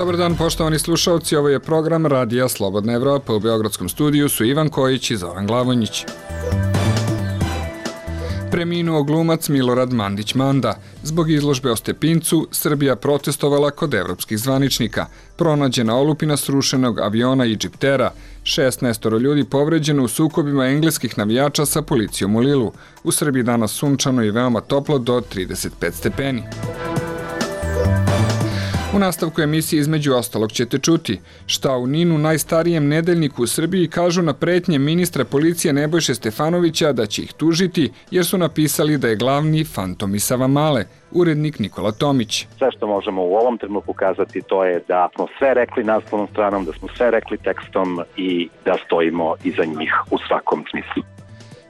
Dobar dan, poštovani slušalci, ovo je program Radija Slobodna Evropa. U Beogradskom studiju su Ivan Kojić i Zoran Glavonjić. Preminuo glumac Milorad Mandić-Manda. Zbog izložbe o Stepincu, Srbija protestovala kod evropskih zvaničnika. Pronađena olupina srušenog aviona Egyptera. 16 ljudi povređeno u sukobima engleskih navijača sa policijom u Lilu. U Srbiji danas sunčano i veoma toplo do 35 stepeni. U nastavku emisije između ostalog ćete čuti šta u NIN-u, najstarijem nedeljniku u Srbiji, kažu na pretnje ministra policije Nebojše Stefanovića da će ih tužiti jer su napisali da je glavni fantom iz Savamale, urednik Nikola Tomić. Sve što možemo u ovom trenutku kazati to je da smo sve rekli naslovnom stranom, da smo sve rekli tekstom i da stojimo iza njih u svakom smislu.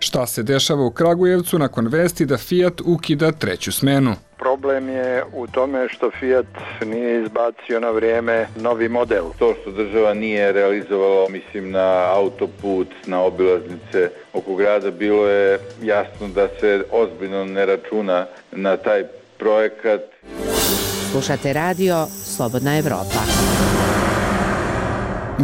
Šta se dešava u Kragujevcu nakon vesti da Fiat ukida treću smenu? Problem je u tome što Fiat nije izbacio na vrijeme novi model. To što država nije realizovalo, mislim, na autoput, na obilaznice oko grada, bilo je jasno da se ozbiljno ne računa na taj projekat. Slušate radio Slobodna Evropa.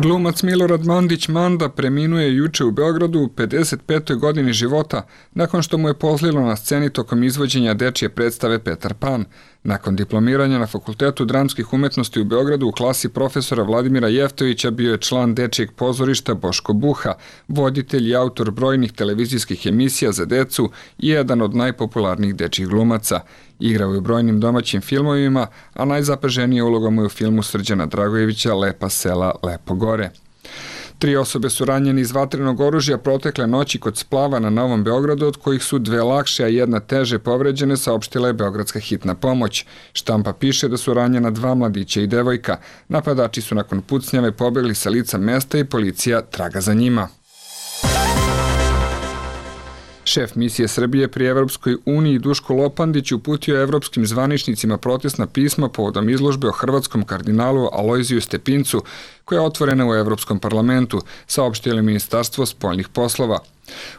Glumac Milorad Mandić-Manda preminuo je juče u Beogradu u 55. godini života nakon što mu je pozlilo na sceni tokom izvođenja dečije predstave Petar Pan. Nakon diplomiranja na Fakultetu dramskih umetnosti u Beogradu u klasi profesora Vladimira Jeftovića bio je član dečijeg pozorišta Boško Buha, voditelj i autor brojnih televizijskih emisija za decu i jedan od najpopularnijih dečjih glumaca. Igrao je u brojnim domaćim filmovima, a najzapaženija uloga mu je u filmu Srđana Dragojevića Lepa sela, lepo gore. 3 osobe su ranjene iz vatrenog oružja protekle noći kod splava na Novom Beogradu, od kojih su 2 lakše, a 1 teže povređene, saopštila je Beogradska hitna pomoć. Štampa piše da su ranjena 2 mladića i devojka. Napadači su nakon pucnjave pobegli sa lica mesta i policija traga za njima. Šef misije Srbije pri Evropskoj uniji Duško Lopandić uputio evropskim zvaničnicima protestna pisma povodom izložbe o hrvatskom kardinalu Alojziju Stepincu, koja je otvorena u Evropskom parlamentu, saopštilo Ministarstvo spoljnih poslova.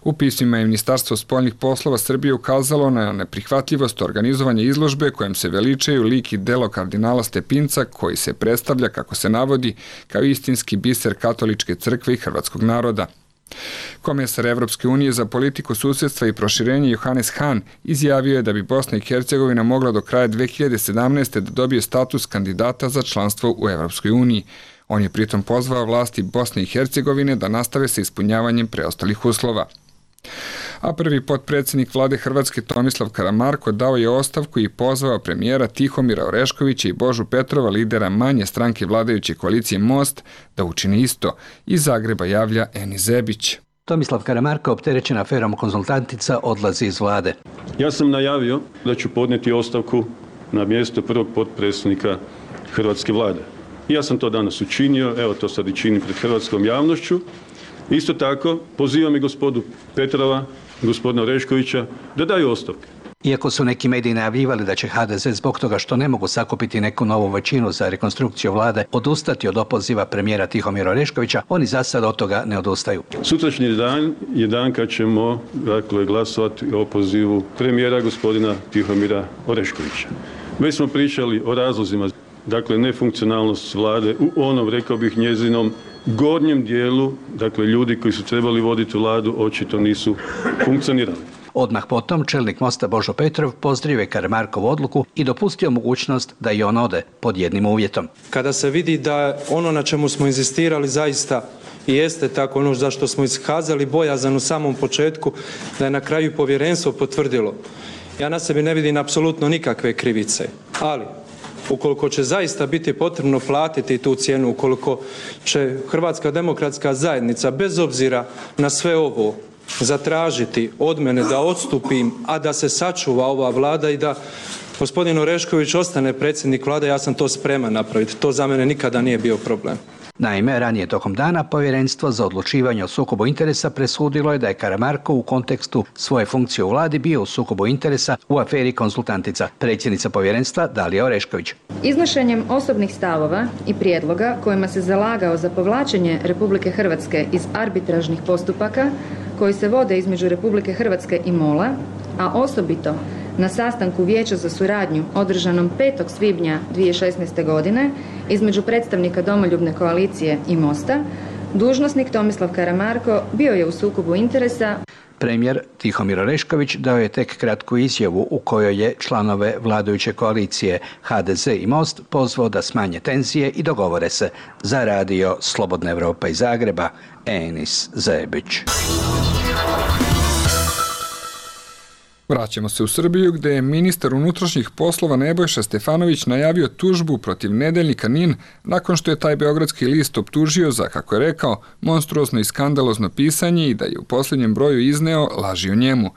U pismima je Ministarstvo spoljnih poslova Srbije ukazalo na neprihvatljivost organizovanja izložbe kojom se veličaju lik i delo kardinala Stepinca, koji se predstavlja, kako se navodi, kao istinski biser katoličke crkve i hrvatskog naroda. Komesar Evropske unije za politiku susjedstva i proširenje Johannes Hahn izjavio je da bi Bosna i Hercegovina mogla do kraja 2017. da dobije status kandidata za članstvo u Evropskoj uniji. On je pritom pozvao vlasti Bosne i Hercegovine da nastave sa ispunjavanjem preostalih uslova. A prvi potpredsjednik vlade Hrvatske Tomislav Karamarko dao je ostavku i pozvao premijera Tihomira Oreškovića i Božu Petrova, lidera manje stranke vladajuće koalicije Most, da učine isto. Iz Zagreba javlja Eni Zebić. Tomislav Karamarko, opterećen aferom konzultantica, odlazi iz vlade. Ja sam najavio da ću podnijeti ostavku na mjesto prvog potpredsjednika Hrvatske vlade. Ja sam to danas učinio, evo to sad i činim pred hrvatskom javnošću. Isto tako, pozivam i gospodu Petrova, gospodina Oreškovića da daju ostavke. Iako su neki mediji najavljivali da će HDZ zbog toga što ne mogu sakupiti neku novu većinu za rekonstrukciju vlade odustati od opoziva premijera Tihomira Oreškovića, oni za sad od toga ne odustaju. Sutrašnji dan je dan kad ćemo glasovati o opozivu premijera gospodina Tihomira Oreškovića. Već smo pričali o razlozima, nefunkcionalnost vlade u onom, rekao bih, njezinom gornjem dijelu, ljudi koji su trebali voditi vladu očito nisu funkcionirali. Odmah potom čelnik Mosta Božo Petrov pozdravio je Karamarkovu odluku i dopustio mogućnost da i on ode pod jednim uvjetom. Kada se vidi da ono na čemu smo inzistirali zaista i jeste tako, ono za što smo iskazali bojazan u samom početku, da je na kraju povjerenstvo potvrdilo. Ja na sebi ne vidim apsolutno nikakve krivice, ali ukoliko će zaista biti potrebno platiti tu cijenu, ukoliko će Hrvatska demokratska zajednica bez obzira na sve ovo zatražiti od mene da odstupim, a da se sačuva ova vlada i da gospodin Orešković ostane predsjednik vlade, ja sam to spreman napraviti. To za mene nikada nije bio problem. Naime, ranije tokom dana Povjerenstvo za odlučivanje o sukobu interesa presudilo je da je Karamarko u kontekstu svoje funkcije u vladi bio u sukobu interesa u aferi konzultantica. Predsjednica povjerenstva Dalija Orešković. Iznošenjem osobnih stavova i prijedloga kojima se zalagao za povlačenje Republike Hrvatske iz arbitražnih postupaka koji se vode između Republike Hrvatske i MOL-a, a osobito na sastanku Vijeća za suradnju održanom 5. svibnja 2016. godine između predstavnika Domoljubne koalicije i Mosta, dužnosnik Tomislav Karamarko bio je u sukobu interesa. Premijer Tihomir Orešković dao je tek kratku izjavu u kojoj je članove vladajuće koalicije HDZ i Most pozvao da smanje tenzije i dogovore se. Za radio Slobodna Evropa iz Zagreba, Enis Zebić. Vraćamo se u Srbiju gdje je ministar unutrašnjih poslova Nebojša Stefanović najavio tužbu protiv nedeljnika NIN nakon što je taj beogradski list optužio za, kako je rekao, monstruozno i skandalozno pisanje i da je u posljednjem broju izneo laži o njemu.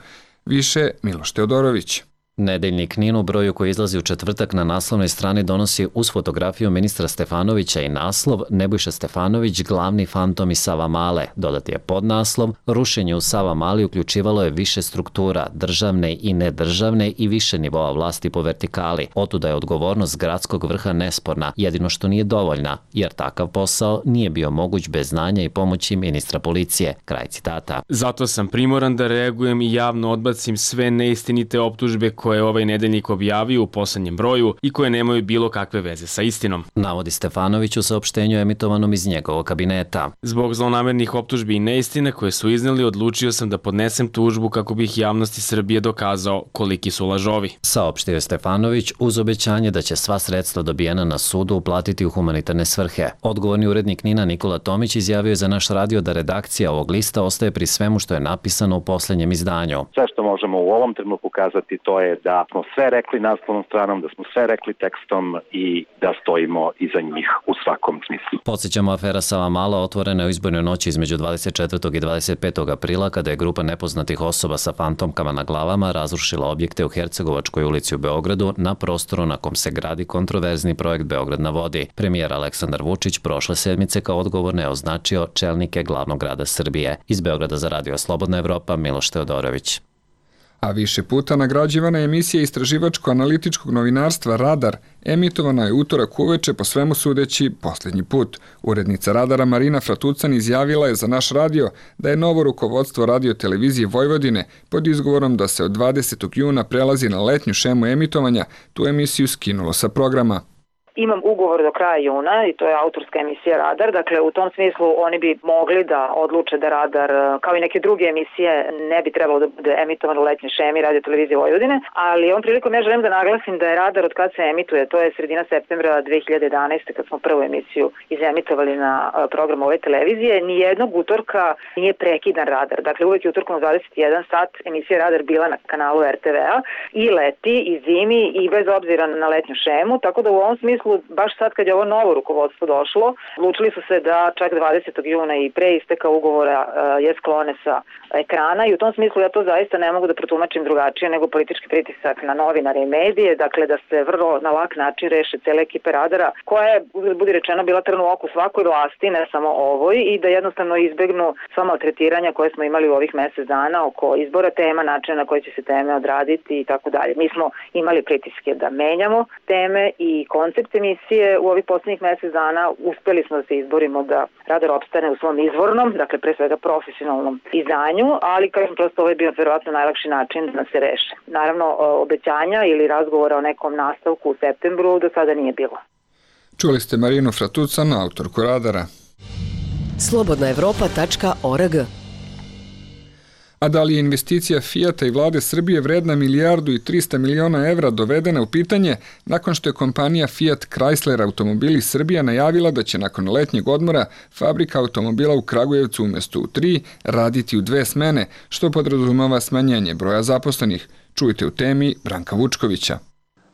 Više Miloš Teodorović. Nedeljnik NIN u broju koji izlazi u četvrtak na naslovnoj strani donosi uz fotografiju ministra Stefanovića i naslov Nebojša Stefanović, glavni fantom iz Savamale. Dodati je podnaslov Rušenje u Savamali uključivalo je više struktura, državne i nedržavne i više nivoa vlasti po vertikali. Otuda je odgovornost gradskog vrha nesporna, jedino što nije dovoljna, jer takav posao nije bio moguć bez znanja i pomoći ministra policije. Kraj citata. Zato sam primoran da reagujem i javno odbacim sve neistinite optužbe koje je ovaj nedeljnik objavio u poslednjem broju i koje nemaju bilo kakve veze sa istinom, navodi Stefanović u saopštenju emitovanom iz njegovog kabineta. Zbog zlonamernih optužbi i neistine koje su izneli, odlučio sam da podnesem tužbu kako bih javnosti Srbije dokazao koliki su lažovi, saopštio je Stefanović uz obećanje da će sva sredstva dobijena na sudu uplatiti u humanitarne svrhe. Odgovorni urednik NIN-a Nikola Tomić izjavio je za naš radio da redakcija ovog lista ostaje pri svemu što je napisano u poslednjem izdanju. Sve što možemo u ovom trenutku kazati to je da smo sve rekli naslovnom stranom, da smo sve rekli tekstom i da stojimo iza njih u svakom smislu. Podsjećamo, afera Savamala otvorena je u izbornoj noći između 24. i 25. aprila kada je grupa nepoznatih osoba sa fantomkama na glavama razrušila objekte u Hercegovačkoj ulici u Beogradu na prostoru na kom se gradi kontroverzni projekt Beograd na vodi. Premijer Aleksandar Vučić prošle sedmice kao odgovorne označio čelnike glavnog grada Srbije. Iz Beograda za radio Slobodna Evropa, Miloš Teodorović. A više puta nagrađivana je emisija istraživačko-analitičkog novinarstva Radar, emitovana je utorak uveče po svemu sudeći posljednji put. Urednica Radara Marina Fratucan izjavila je za naš radio da je novo rukovodstvo radio televizije Vojvodine pod izgovorom da se od 20. juna prelazi na letnju šemu emitovanja tu emisiju skinulo sa programa. Imam ugovor do kraja juna i to je autorska emisija Radar, dakle u tom smislu oni bi mogli da odluče da Radar, kao i neke druge emisije, ne bi trebalo da bude emitovan u letnjoj šemi Radio televizije Vojvodine, ali ovom prilikom ja želim da naglasim da je Radar od kad se emituje, to je sredina septembra 2011. kad smo prvu emisiju izemitovali na program ove televizije, nijednog utorka nije prekidan Radar, dakle uvek je utorkom u 21 sat emisija Radar bila na kanalu RTV-a i leti i zimi i bez obzira na letnju šemu, tako da u ovom smislu baš sad kad je ovo novo rukovodstvo došlo, odlučili su se da čak 20. juna i pre isteka ugovora je sklone sa ekrana i u tom smislu ja to zaista ne mogu da protumačim drugačije nego politički pritisak na novinare i medije, dakle da se vrlo na lak način reše cele ekipe Radara, koja je, budi rečeno, bila trn u oku svakoj vlasti, ne samo ovoj, i da jednostavno izbegnu sva maltretiranja koje smo imali u ovih mesec dana oko izbora tema, načina na koji će se teme odraditi i tako dalje. Mi smo imali pritiske da menjamo teme i koncept emisije u ovih posljednjih mesec dana. Uspeli smo da se izborimo da Radar opstane u svom izvornom, dakle pre svega profesionalnom izdanju, ali kažem prosto ovo je bio verovatno najlakši način da se reše. Naravno, obećanja ili razgovora o nekom nastavku u septembru do sada nije bilo. Čuli ste Marinu Fratucan, autorku Radara. Slobodnaevropa.org. A da li je investicija Fijata i vlade Srbije vredna 1.300 miliona evra dovedena u pitanje nakon što je kompanija Fiat Chrysler Automobili Srbija najavila da će nakon letnjeg odmora fabrika automobila u Kragujevcu umjesto u 3 raditi u 2 smene, što podrazumeva smanjenje broja zaposlenih. Čujte u temi Branka Vučkovića.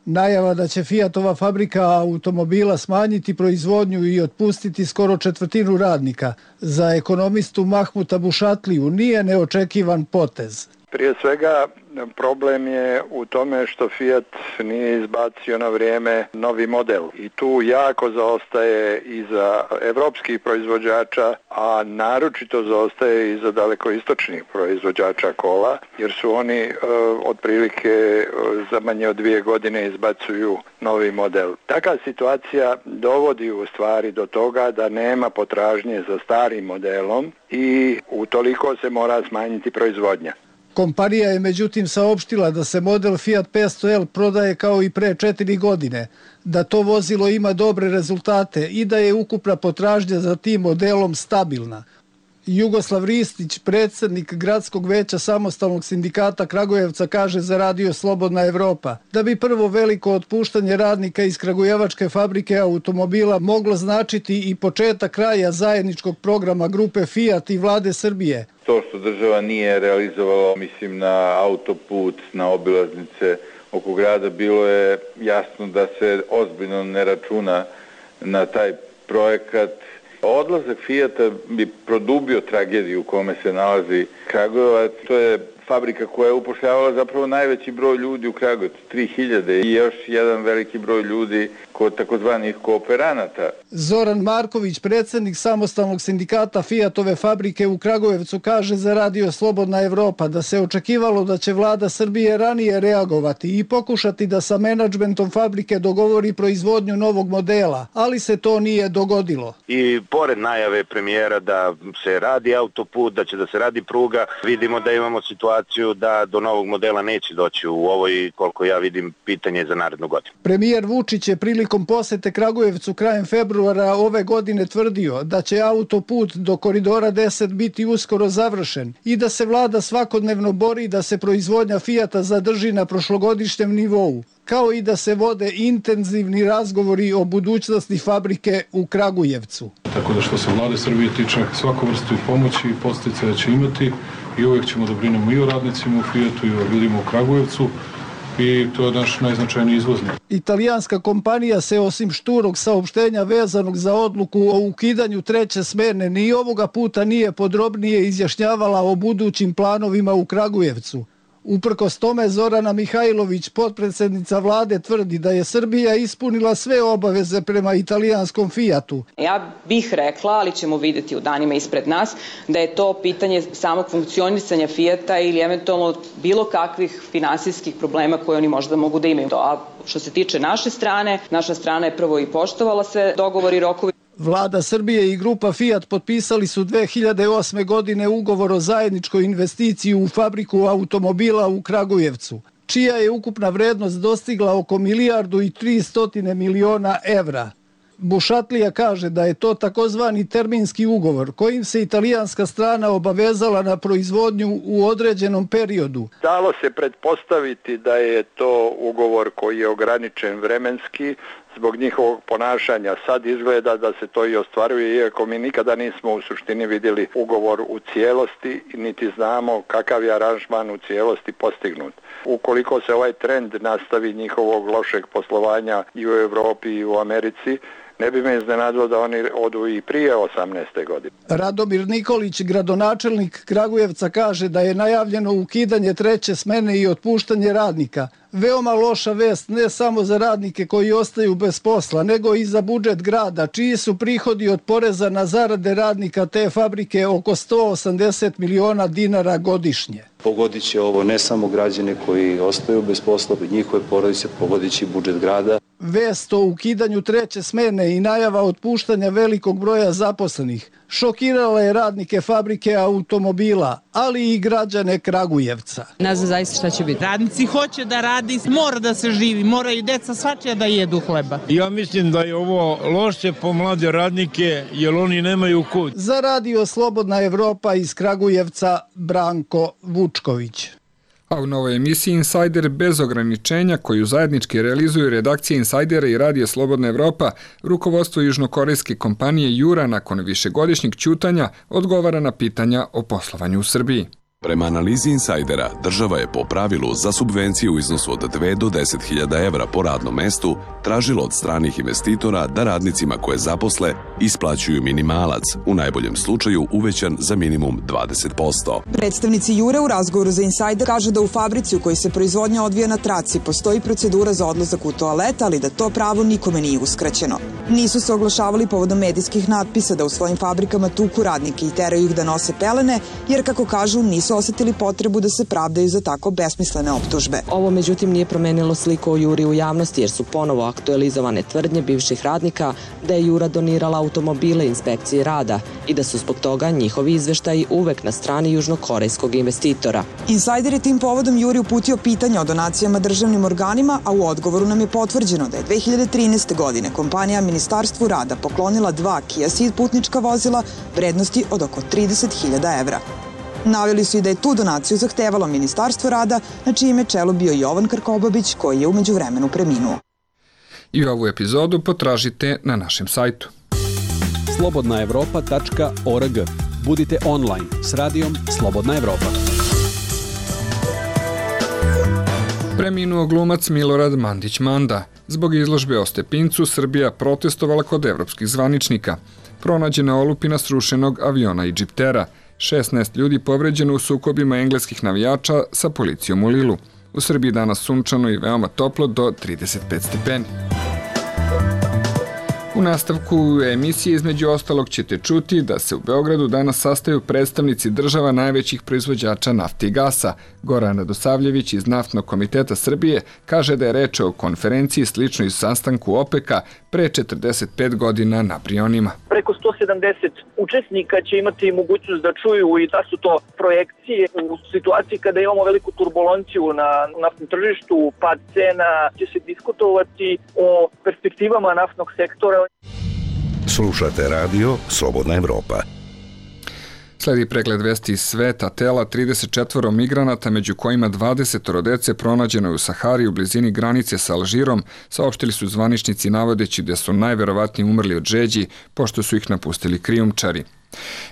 Najava da će Fiatova fabrika automobila smanjiti proizvodnju i otpustiti skoro 1/4 radnika za ekonomistu Mahmuta Bušatliju nije neočekivan potez. Prije svega problem je u tome što Fiat nije izbacio na vrijeme novi model i tu jako zaostaje i za evropskih proizvođača, a naročito zaostaje i za dalekoistočnih proizvođača kola, jer su oni otprilike za manje od 2 godine izbacuju novi model. Takva situacija dovodi u stvari do toga da nema potražnje za starim modelom i utoliko se mora smanjiti proizvodnja. Kompanija je međutim saopštila da se model Fiat 500L prodaje kao i pre 4 godine, da to vozilo ima dobre rezultate i da je ukupna potražnja za tim modelom stabilna. Jugoslav Ristić, predsjednik Gradskog veća Samostalnog sindikata Kragujevca, kaže za Radio Slobodna Evropa da bi prvo veliko otpuštanje radnika iz kragujevačke fabrike automobila moglo značiti i početak kraja zajedničkog programa grupe Fiat i vlade Srbije. To što država nije realizovalo, mislim, na autoput, na obilaznice oko grada, bilo je jasno da se ozbiljno ne računa na taj projekat. Odlazak Fijata bi produbio tragediju u kome se nalazi Kragujevac. To je fabrika koja je upošljavala zapravo najveći broj ljudi u Kragujevcu, 3000 i još jedan veliki broj ljudi kod takozvanih kooperanata. Zoran Marković, predsjednik Samostalnog sindikata Fijatove fabrike u Kragujevcu, kaže za Radio Slobodna Evropa da se očekivalo da će vlada Srbije ranije reagovati i pokušati da sa menadžmentom fabrike dogovori proizvodnju novog modela, ali se to nije dogodilo. I pored najave premijera da se radi autoput, da će da se radi pruga, vidimo da imamo situaciju da do novog modela neće doći u ovoj, koliko ja vidim, pitanje za narednu godinu. Premijer Vučić je prilikom posete Kragujevcu krajem februara ove godine tvrdio da će autoput do koridora 10 biti uskoro završen i da se vlada svakodnevno bori da se proizvodnja Fijata zadrži na prošlogodišnjem nivou, kao i da se vode intenzivni razgovori o budućnosti fabrike u Kragujevcu. Tako da što se vlade Srbije tiče, svaku vrstu pomoći i podsticaja će imati i uvijek ćemo da brinemo i o radnicima u Fijatu i o ljudima u Kragujevcu i to je naš najznačajniji izvoznik. Italijanska kompanija se osim šturog saopštenja vezanog za odluku o ukidanju treće smene ni ovoga puta nije podrobnije izjašnjavala o budućim planovima u Kragujevcu. Uprkos tome, Zorana Mihajlović, potpredsjednica vlade, tvrdi da je Srbija ispunila sve obaveze prema italijanskom Fijatu. Ja bih rekla, ali ćemo vidjeti u danima ispred nas, da je to pitanje samog funkcionisanja Fijata ili eventualno bilo kakvih finansijskih problema koje oni možda mogu da imaju. A što se tiče naše strane, naša strana je prvo i poštovala sve dogovori i rokovi. Vlada Srbije i grupa Fiat potpisali su 2008. godine ugovor o zajedničkoj investiciji u fabriku automobila u Kragujevcu, čija je ukupna vrednost dostigla oko 1,3 milijarde evra. Bušatlija kaže da je to takozvani terminski ugovor kojim se italijanska strana obavezala na proizvodnju u određenom periodu. Dalo se pretpostaviti da je to ugovor koji je ograničen vremenski zbog njihovog ponašanja. Sad izgleda da se to i ostvaruje, iako mi nikada nismo u suštini vidjeli ugovor u cijelosti, niti znamo kakav je aranžman u cijelosti postignut. Ukoliko se ovaj trend nastavi njihovog lošeg poslovanja i u Evropi i u Americi, ne bi me iznenadilo da oni odu i prije 18. godine. Radomir Nikolić, gradonačelnik Kragujevca, kaže da je najavljeno ukidanje treće smene i otpuštanje radnika. Veoma loša vest ne samo za radnike koji ostaju bez posla, nego i za budžet grada, čiji su prihodi od poreza na zarade radnika te fabrike oko 180 miliona dinara godišnje. Pogodit će ovo ne samo građane koji ostaju bez posla, njihove porodice, pogodit će budžet grada. Vest o ukidanju treće smene i najava otpuštanja velikog broja zaposlenih šokirala je radnike fabrike automobila, ali i građane Kragujevca. Ne znam zaista šta će biti. Radnici hoće da radi, mora da se živi, mora i deca svačija da jedu hleba. Ja mislim da je ovo loše po mlade radnike, jer oni nemaju kud. Za Radio Slobodna Evropa iz Kragujevca, Branko Vučković. A u novoj emisiji Insider bez ograničenja, koju zajednički realizuju redakcije Insidera i Radio Slobodna Evropa, rukovodstvo južnokorejske kompanije Jura nakon višegodišnjeg ćutanja odgovara na pitanja o poslovanju u Srbiji. Prema analizi Insidera, država je po pravilu za subvenciju u iznosu od 2 do 10.000 evra po radnom mestu tražila od stranih investitora da radnicima koje zaposle isplaćuju minimalac, u najboljem slučaju uvećan za minimum 20%. Predstavnici Jure u razgovoru za Insider kažu da u fabrici u kojoj se proizvodnja odvija na traci postoji procedura za odlazak u toalet, ali da to pravo nikome nije uskraćeno. Nisu se oglašavali povodom medijskih natpisa da u svojim fabrikama tuku radnike i teraju ih da nose pelene, jer kako kažu nisu osetili potrebu da se pravdaju za tako besmislene optužbe. Ovo međutim nije promenilo sliku o Juri u javnosti jer su ponovo aktualizovane tvrdnje bivših radnika da je Jura donirala automobile inspekciji rada i da su zbog toga njihovi izveštaji uvek na strani južnokorejskog investitora. Insajder je tim povodom Juri uputio pitanja o donacijama državnim organima, a u odgovoru nam je potvrđeno da je 2013. godine kompanija Ministarstvu rada poklonila 2 Kia Ceed putnička vozila vrednosti od oko 30.000 evra. Naveli su i da je tu donaciju zahtevalo Ministarstvo rada, na čijem je čelu bio Jovan Krkobabić, koji je u međuvremenu preminuo. I ovu epizodu potražite na našem sajtu. slobodnaevropa.org. Budite online s radijom Slobodna Evropa. Preminuo glumac Milorad Mandić-Manda. Zbog izložbe o Stepincu, Srbija protestovala kod evropskih zvaničnika. Pronađena olupina srušenog aviona Egyptera. 16 ljudi povređeno u sukobima engleskih navijača sa policijom u Lilu. U Srbiji danas sunčano i veoma toplo do 35 stepeni. U nastavku emisije između ostalog ćete čuti da se u Beogradu danas sastaju predstavnici država najvećih proizvođača nafte i gasa. Goran Radosavljević iz Naftnog komiteta Srbije kaže da je reč o konferenciji sličnoj sastanku OPEC-a pre 45 godina na Brionima. Preko 170 učesnika će imati mogućnost da čuju i da su to projekcije u situaciji kada imamo veliku turbulenciju na naftnom tržištu, pad cena, će se diskutovati o perspektivama naftnog sektora. Slušate radio Slobodna Evropa. Sledi pregled vesti iz sveta. Tela 34 migranata, među kojima 20 dece, pronađeno je u Sahari u blizini granice sa Alžirom, saopštili su zvaničnici navodeći da su najverovatnije umrli od žeđi, pošto su ih napustili krijumčari.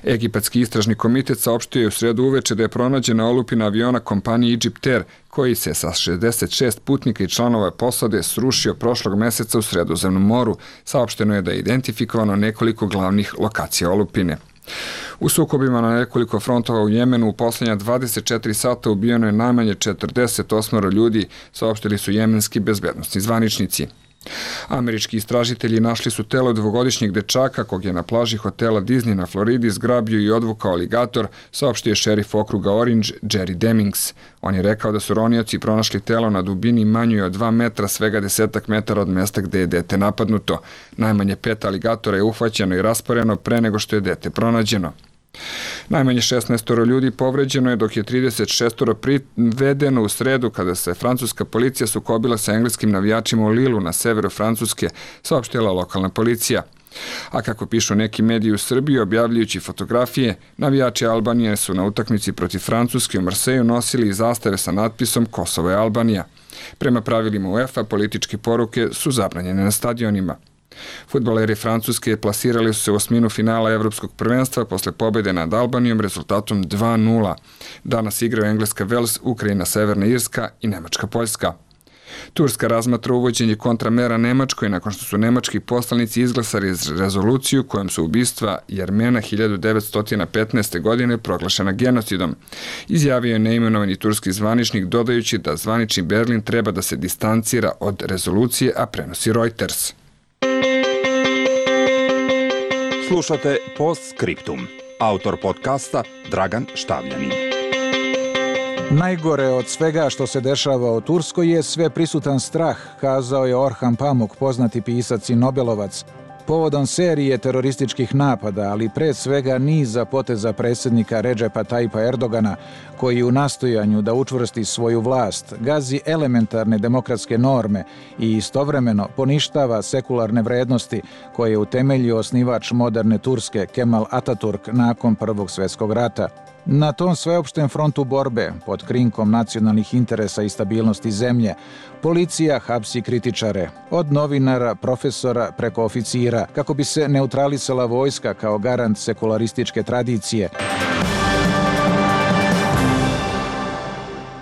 Egipatski istražni komitet saopštio je u sredu uveče da je pronađena olupina aviona kompanije Egypter, koji se sa 66 putnika i članova posade srušio prošlog meseca u Sredozemnom moru. Saopšteno je da je identifikovano nekoliko glavnih lokacija olupine. U sukobima na nekoliko frontova u Jemenu u posljednja 24 sata ubijeno je najmanje 48 ljudi, saopštili su jemenski bezbednosni zvaničnici. Američki istražitelji našli su telo dvogodišnjeg dečaka kog je na plaži hotela Disney na Floridi zgrabio i odvukao aligator, saopštio je šerif okruga Orange Jerry Demings. On je rekao da su ronioci pronašli telo na dubini manjoj od 2 metra, svega 10 metara od mesta gde je dete napadnuto. Najmanje 5 aligatora je uhvaćeno i rasporeno pre nego što je dete pronađeno. Najmanje 16 ljudi povređeno je, dok je 36 privedeno u sredu kada se francuska policija sukobila sa engleskim navijačima u Lilu na severu Francuske, saopštila lokalna policija. A kako pišu neki mediji u Srbiji, objavljujući fotografije, navijači Albanije su na utakmici protiv Francuske u Marseju nosili i zastave sa natpisom Kosovo je Albanija. Prema pravilima UEFA, političke poruke su zabranjene na stadionima. Fudbaleri Francuske plasirali su se u osminu finala Evropskog prvenstva posle pobjede nad Albanijom rezultatom 2:0. Danas igraju Engleska Vels, Ukrajina Severna Irska i Nemačka Poljska. Turska razmatra uvođenje kontramera Nemačkoj nakon što su nemački poslanici izglasali rezoluciju kojom su ubistva Jermena 1915. godine proglašena genocidom. Izjavio je neimenovani turski zvaničnik, dodajući da zvanični Berlin treba da se distancira od rezolucije, a prenosi Reuters. Slušate Postscriptum. Autor podcasta Dragan Štavljanin. Najgore od svega što se dešava u Turskoj je sve prisutan strah, kazao je Orhan Pamuk, poznati pisac i Nobelovac, povodom serije terorističkih napada, ali pre svega niza poteza predsjednika Redžepa Tayyipa Erdogana, koji u nastojanju da učvrsti svoju vlast gazi elementarne demokratske norme i istovremeno poništava sekularne vrednosti koje je utemeljio osnivač moderne Turske Kemal Ataturk nakon Prvog svjetskog rata. Na tom sveopštem frontu borbe, pod krinkom nacionalnih interesa i stabilnosti zemlje, policija hapsi kritičare, od novinara, profesora preko oficira, kako bi se neutralisala vojska kao garant sekularističke tradicije.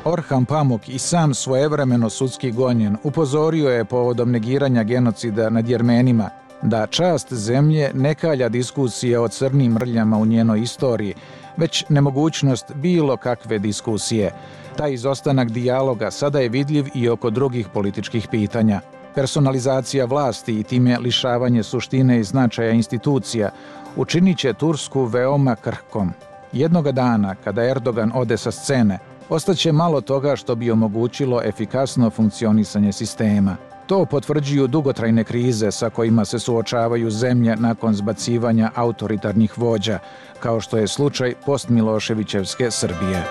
Orhan Pamuk, i sam svojevremeno sudski gonjen, upozorio je povodom negiranja genocida nad Jermenima da čast zemlje ne kalja diskusije o crnim mrljama u njenoj istoriji, već nemogućnost bilo kakve diskusije. Taj izostanak dijaloga sada je vidljiv i oko drugih političkih pitanja. Personalizacija vlasti i time lišavanje suštine i značaja institucija učinit će Tursku veoma krhkom. Jednoga dana, kada Erdogan ode sa scene, ostaće malo toga što bi omogućilo efikasno funkcionisanje sistema. To potvrđuju dugotrajne krize sa kojima se suočavaju zemlje nakon zbacivanja autoritarnih vođa, kao što je slučaj postmiloševićevske Srbije.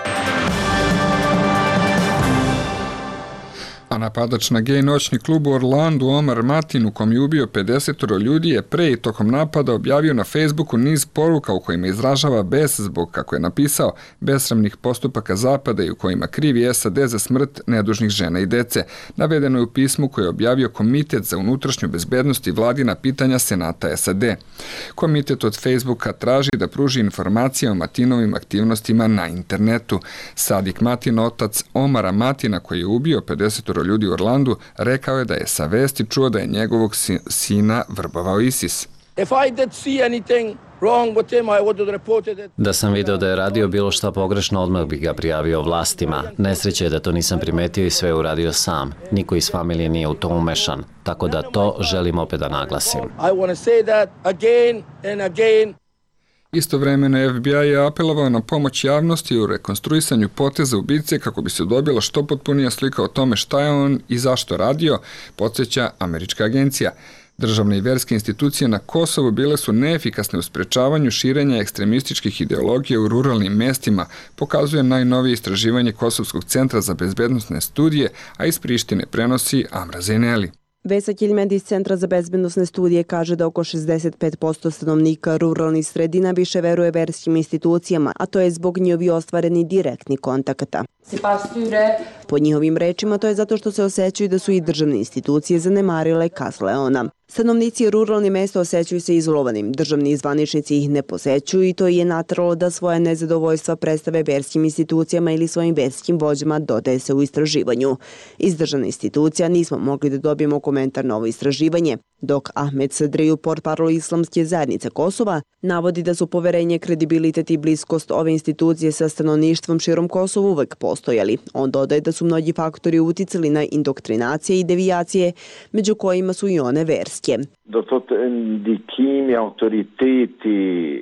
A napadač na gej noćni klub u Orlandu Omar Matin, u kom je ubio 50 ljudi, je pre i tokom napada objavio na Facebooku niz poruka u kojima izražava bes zbog, kako je napisao, besramnih postupaka Zapada i u kojima krivi SAD za smrt nedužnih žena i dece. Navedeno je u pismu koje je objavio Komitet za unutrašnju bezbednost i vladina pitanja Senata SAD. Komitet od Facebooka traži da pruži informacije o Matinovim aktivnostima na internetu. Sadik Matin, otac Omara Matina, koji je ubio 50 ljudi u Orlandu, rekao je da je sa vesti čuo da je njegovog sina vrbovao ISIS. Da sam video da je radio bilo šta pogrešno, odmah bih ga prijavio vlastima. Nesreće je da to nisam primetio i sve je uradio sam. Niko iz familije nije u to umešan, tako da to želim opet da naglasim. Istovremeno FBI je apelovao na pomoć javnosti u rekonstruisanju poteza ubice kako bi se dobila što potpunija slika o tome šta je on i zašto radio, podsjeća američka agencija. Državne i verske institucije na Kosovu bile su neefikasne u sprečavanju širenja ekstremističkih ideologija u ruralnim mestima, pokazuje najnovije istraživanje Kosovskog centra za bezbednosne studije, a iz Prištine prenosi Amra Zeneli. Vesa Kiljmed iz Centra za bezbednosne studije kaže da oko 65% stanovnika ruralnih sredina više veruje verskim institucijama, a to je zbog njihovi ostvareni direktni kontakata. Po njihovim rečima to je zato što se osjećaju da su i državne institucije zanemarile Kas Leona. Stanovnici ruralnih mesta osjećaju se izolovanim, državni zvaničnici ih ne posećuju i to je nateralo da svoje nezadovoljstva predstave verskim institucijama ili svojim verskim vođama, dodaje se u istraživanju. Iz državne institucija nismo mogli da dobijemo komentar na ovo istraživanje, dok Ahmed Sadriju, portparol Islamske zajednice Kosova, navodi da su poverenje, kredibilitet i bliskost ove institucije sa stanovništvom širom Kosova uvek postojali. On dodaje da su mnogi faktori uticali na indoktrinacije i devijacije, među kojima su i one verske.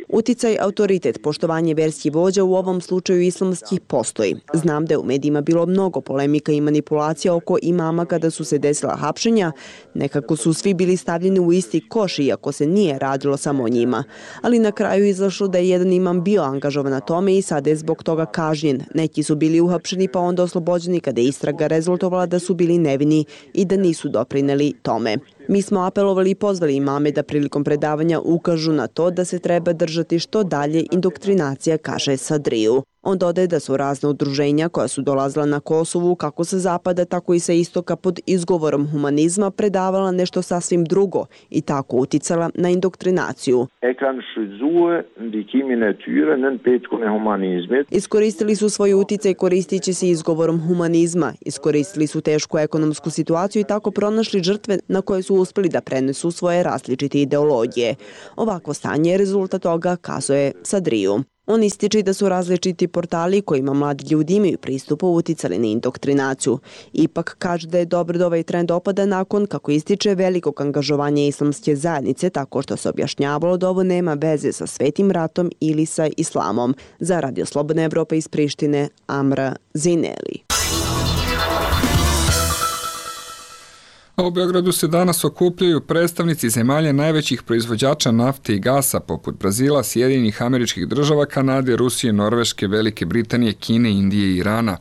Uticaj, autoritet, poštovanje verskih vođa u ovom slučaju islamskih postoji. Znam da je u medijima bilo mnogo polemika i manipulacija oko imama kada su se desila hapšenja. Nekako su svi bili stavljeni u isti koš, iako se nije radilo samo o njima. Ali na kraju izašlo da je jedan imam bio angažovan na tome i sada je zbog toga kažnjen. Neki su bili uhapšeni pa onda oslobođeni kada je istraga rezultovala da su bili nevini i da nisu doprineli tome. Mi smo apelovali i pozvali imame da prilikom predavanja ukažu na to da se treba držati što dalje indoktrinacija, kaže Sadriju. On dodaje da su razne udruženja koja su dolazila na Kosovu kako sa zapada, tako i sa istoka pod izgovorom humanizma predavala nešto sasvim drugo i tako uticala na indoktrinaciju. Iskoristili su svoj uticaj koristići se izgovorom humanizma, iskoristili su tešku ekonomsku situaciju i tako pronašli žrtve na koje su uspeli da prenesu svoje različite ideologije. Ovakvo stanje je rezultat toga, kazuje Sadriju. On ističe da su različiti portali kojima mladi ljudi imaju pristup uticali na indoktrinaciju. Ipak kaže da je dobro da ovaj trend opada nakon, kako ističe, velikog angažovanja islamske zajednice, tako što se objašnjavalo da ovo nema veze sa Svetim ratom ili sa islamom. Za Radio Slobodna Evropa iz Prištine, Amra Zineli. A u Beogradu se danas okupljaju predstavnici zemalja najvećih proizvođača nafte i gasa poput Brazila, Sjedinjenih Američkih Država, Kanade, Rusije, Norveške, Velike Britanije, Kine, Indije i Irana.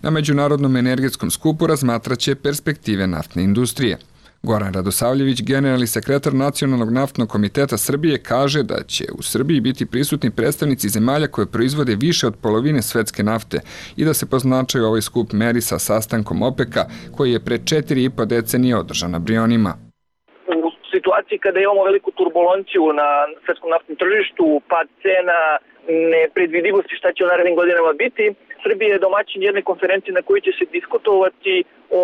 Na Međunarodnom energetskom skupu razmatraće perspektive naftne industrije. Goran Radosavljević, generalni sekretar Nacionalnog naftnog komiteta Srbije, kaže da će u Srbiji biti prisutni predstavnici zemalja koje proizvode više od polovine svetske nafte i da se po značaju ovaj skup meri sa sastankom OPEC-a koji je pre 4,5 decenije održan na Brionima. U situaciji kada imamo veliku turbulenciju na svetskom naftnom tržištu, pad cena, nepredvidivosti šta će u narednim godinama biti, Srbija je domaćin jedne konferencije na kojoj će se diskutovati o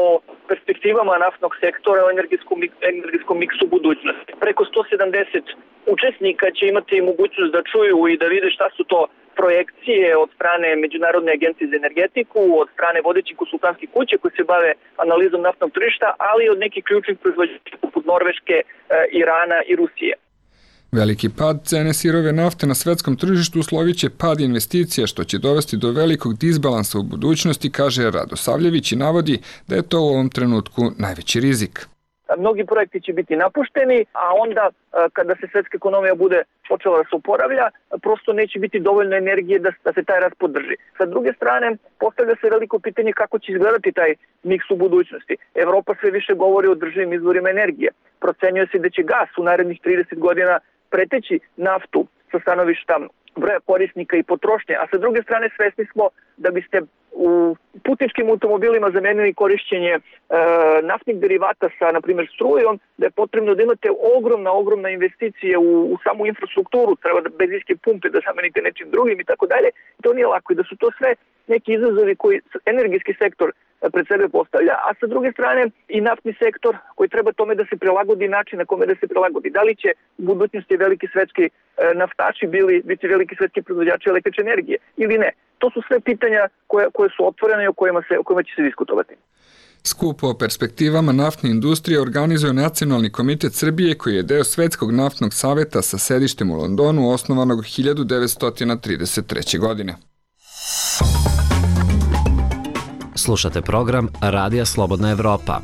perspektivama naftnog sektora, o energetskom miksu budućnosti. Preko 170 učesnika će imati mogućnost da čuju i da vide šta su to projekcije od strane Međunarodne agencije za energetiku, od strane vodećih konsultantskih kuće koji se bave analizom naftnog tržišta, ali i od nekih ključnih proizvođača poput Norveške, Irana i Rusije. Veliki pad cene sirove nafte na svetskom tržištu uslovit će pad investicija, što će dovesti do velikog disbalansa u budućnosti, kaže Radosavljević i navodi da je to u ovom trenutku najveći rizik. Mnogi projekti će biti napušteni, a onda kada se svetska ekonomija bude počela da se oporavlja, prosto neće biti dovoljno energije da se taj rast podrži. Sa druge strane, postavlja se veliko pitanje kako će izgledati taj miks u budućnosti. Evropa sve više govori o održivim izvorima energije. Procenjuje se da će gas u narednih 30 godina preteći naftu sa stanovišta broja korisnika i potrošnje, a sa druge strane svesni smo da biste u putničkim automobilima zamenili korišćenje naftnih derivata sa, na primjer, strujom, da je potrebno da imate ogromna investicije u samu infrastrukturu, treba da benzinske pumpe da zamenite nečim drugim i tako dalje. To nije lako i da su to sve neki izazovi koji energijski sektor pred sebe postavlja, a sa druge strane i naftni sektor koji treba tome da se prilagodi način na kome da se prilagodi. Da li će u budućnosti veliki svetski naftači biti veliki svetski proizvođači električne energije ili ne? To su sve pitanja koje su otvorene i o kojima će se diskutovati. Skup o perspektivama naftne industrije organizuje Nacionalni komitet Srbije, koji je deo Svetskog naftnog saveta sa sedištem u Londonu, osnovanog 1933. godine. Slušate program Radija Slobodna Evropa.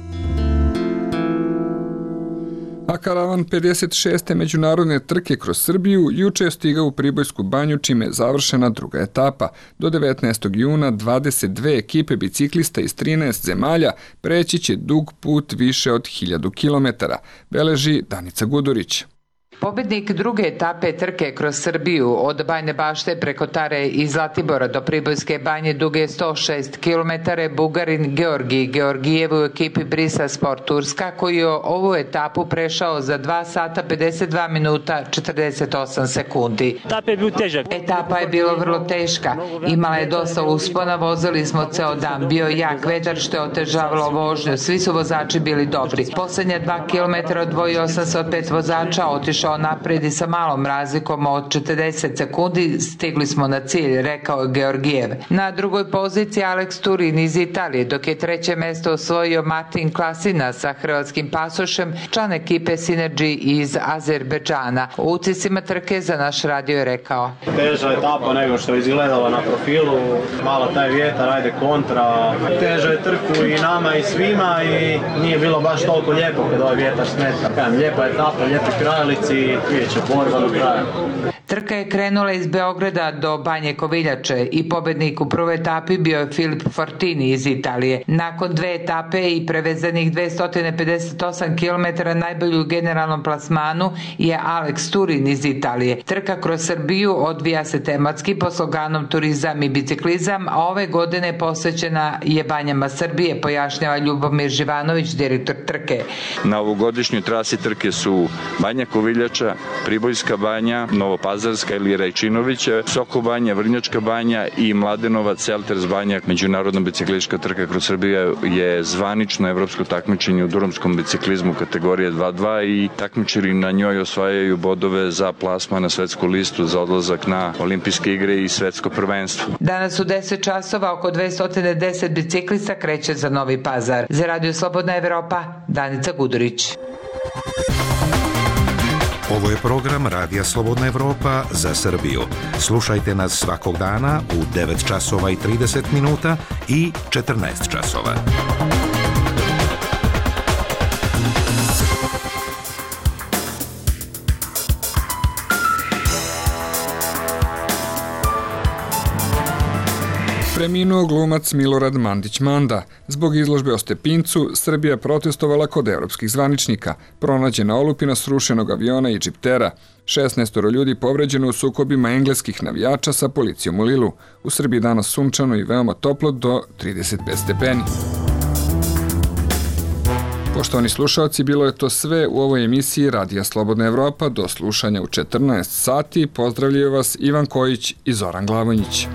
A karavan 56. međunarodne trke kroz Srbiju juče je stigao u Pribojsku banju, čime je završena druga etapa. Do 19. juna 22 ekipe biciklista iz 13 zemalja preći će dug put više od 1000 km, beleži Danica Gudurić. Pobednik druge etape trke kroz Srbiju od Bajne Bašte preko Tare i Zlatibora do Pribojske banje duge 106 km Bugarin Georgij Georgijev u ekipi Brisa Sport Turska, koji je ovu etapu prešao za 2 sata 52 minuta 48 sekundi. Etapa je bila vrlo teška, imala je dosta uspona, vozili smo ceo dan, bio jak vetar što je otežavalo vožnju, svi su vozači bili dobri. Poslednja 2 km odvojio sam se od 5 vozača, otišao napred i sa malom razlikom od 40 sekundi stigli smo na cilj, rekao je Georgijev. Na drugoj poziciji Alex Turin iz Italije, dok je treće mesto osvojio Martin Klasina sa hrvatskim pasošem, član ekipe Synergy iz Azerbejdžana. U utiscima trke za naš radio je rekao: Teža etapa nego što je izgledala na profilu, malo taj vjetar, ajde kontra, teža je trku i nama i svima i nije bilo baš toliko lijepo kad ovaj vjetar smeta. Lijepa etapa, lijepi krajolici, vidjet će borba do kraja. Trka je krenula iz Beograda do Banje Koviljače i pobednik u prvoj etapi bio je Filip Fortini iz Italije. Nakon 2 etape i prevezanih 258 km najbolju u generalnom plasmanu je Alex Turin iz Italije. Trka kroz Srbiju odvija se tematski pod sloganom Turizam i biciklizam, a ove godine posvećena je banjama Srbije, pojašnjava Ljubomir Živanović, direktor trke. Na ovogodišnjoj trasi trke su Banja Koviljača, Pribojska banja, Novopazarska ili Rajčinovića, Soko banja, Vrnjačka banja i Mladenovac, Selters banja. Međunarodna biciklistička trka kroz Srbiju je zvanično evropsko takmičenje u durumskom biciklizmu kategorije 2.2 i takmičari na njoj osvajaju bodove za plasman na svetsku listu za odlazak na olimpijske igre i svetsko prvenstvo. Danas u 10 časova oko 210 biciklista kreće za Novi Pazar. Za Radio Slobodna Evropa, Danica Gudurić. Ovo je program Radija Slobodna Evropa za Srbiju. Slušajte nas svakog dana u 9 časova i 30 minuta i 14 časova. Preminuo glumac Milorad Mandić-Manda. Zbog izložbe o Stepincu, Srbija protestovala kod evropskih zvaničnika. Pronađena olupina srušenog aviona i džiptera. 16 ljudi povređeno u sukobima engleskih navijača sa policijom u Lilu. U Srbiji danas sunčano i veoma toplo do 35 stepeni. Poštovani slušalci, bilo je to sve u ovoj emisiji Radija Slobodna Evropa. Do slušanja u 14 sati. Pozdravljaju vas Ivan Kojić i Zoran Glavonjić.